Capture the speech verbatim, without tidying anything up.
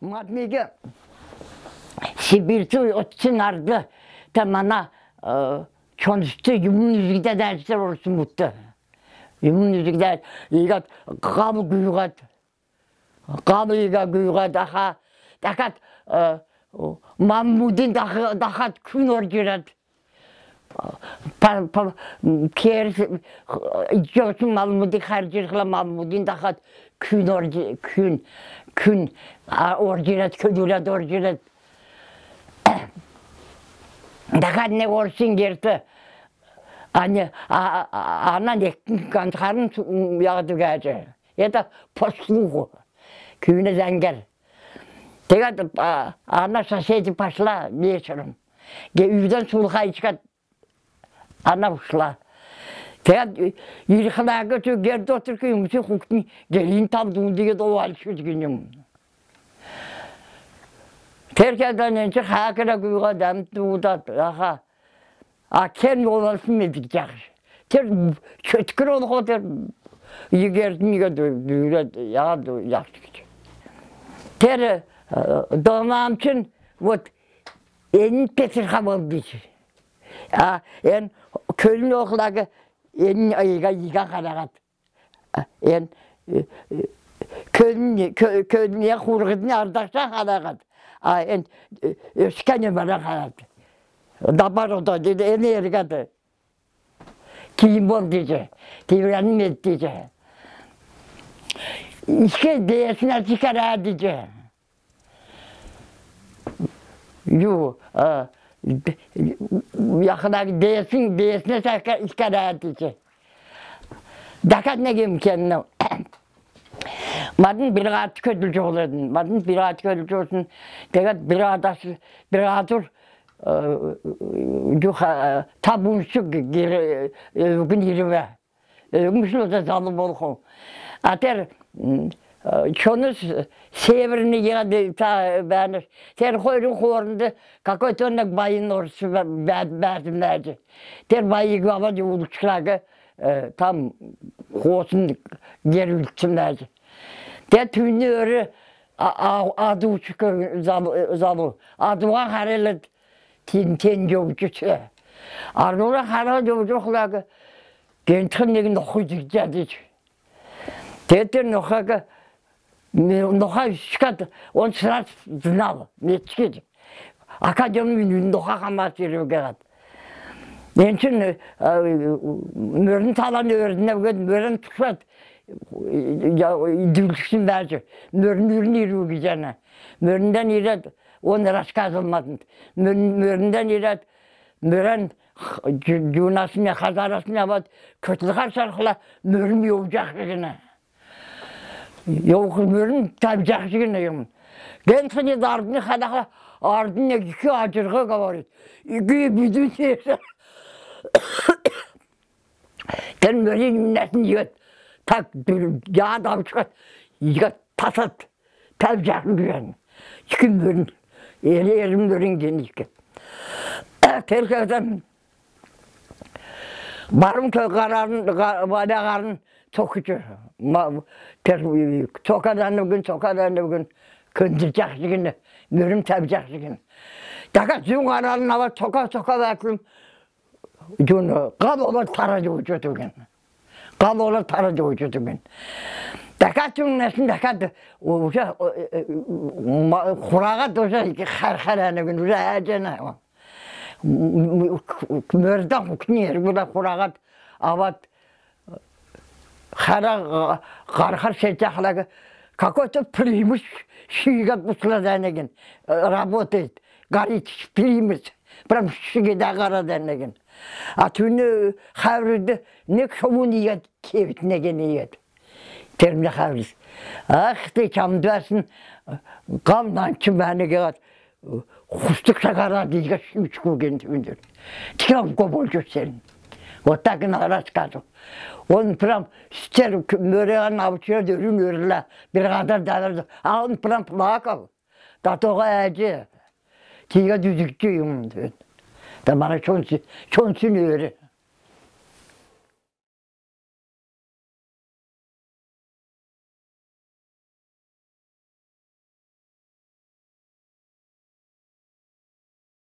Матмеге Сибирьчи отчин арды та мана чонсты юмун үзгиде дәрістер орсын мұтты. Юмун үзгиде игат қабы күйгат. Қабы ига күйгат аха. Дакат Маммудин дахат күн оржират. Кер жосын Маммуди харжиргла Маммудин дахат күн оржи күн күн оржират көдүлат оржират. Дахат не орсын керті. Аны анан эки кантарын ягды гажы. Это послугу. Күнү зангер. Тегат она соседи пошла вечером. Где үйден сулха ичкат. Она ушла. Тегат ирхнага ту герде отурку юмчу хукни gelin табдун деген овалчу дегеним. Теркеден энче хакыра куйга дамтуудат аха. А кен овалсын медик жакшы. Тер чөткөр олго тер егердиге дүйрөт ягды жакшы. Тер Домам için вот en Petrha oldu. А en Köln oğlağı en ayıga yiga karagat. En Köln Köln'e kurgudun ardakta karagat. А en öskene bana karagat. Dabar oda dedi en ergadı. Kim bol diye. Tivranım et diye. İşte deyesine çıkar diye. Yo, yakına değilsin, değilsine sakar iskara diye. Dakat ne imkanı? Madın bir at kötülücü oladın, madın bir at kötülücü olsun. Dakat bir adası, bir adır, yuha tabunsu geri, gün yirve, gün da zalim olsun. Ater Çonuz severini yedi ta ben ter koyun korundu какой-то он bayın orası verdim verdi. Ter bayı gavadı ulukçulağı tam kosun geri ulukçum verdi. Ter tüynü örü adı uçuk zalı adıma hareket tin tin yokçu. Arnola hareket yokçulağı gençken ne gün okuyacak dedi. Ter nokaga Ноха шкат, он сразу знал, мечки. Академию ноха хамас иргат. Энчин мөрн талан өрнөг мөрн тушат. Я идүлшин бажы. Мөрн мөрн ирүг жана. Мөрнден ират, он рассказывалмадым. Мөрнден ират, мөрн жунасына хазарасына бат көтүлгар шархла мөрн ёжак гына. Yok mürün tabi jakşıgın ayım. Gençliği dardını kadar ardına iki acırga kavarız. İki bütün şeyse. Ten böyle minnetin yiyet. Tak yağ davuşkat. Yiyet tasat. Tabi jakşıgın. İki mürün. Eli erim mürün genişke. Terkeden barım köy kararın, vade karın çok küçük. Çok adamlı gün, çok adamlı gün kındıracak gün, mürüm tabacak gün. Dakat zün kararın hava soka soka bakım. Gün kal olur taracı vücudu gün. Kal olur taracı vücudu gün. Dakat zün nesin dakat oca kurağa doza harharanı gün uza acena. Mördan hukniyer bu da kurağa avat Хара гархар сетахлага какой-то примус шига пусладанеген работает горит примус прям шига гараданеген а түнү хаврды не коммуният кевит негениет термне хаврис ах ты чамдасын гамдан чиманеге хустук сагара дига шүчкүген түндүр тирам коболчу сен вот так на рассказу. Он прям стер мөрен авчер дөрүм өрүлө бир кадар дарады. А он прям плакал. Да тога эже. Тига дүзүкчү юм. Да мана чонсу чонсун өрү.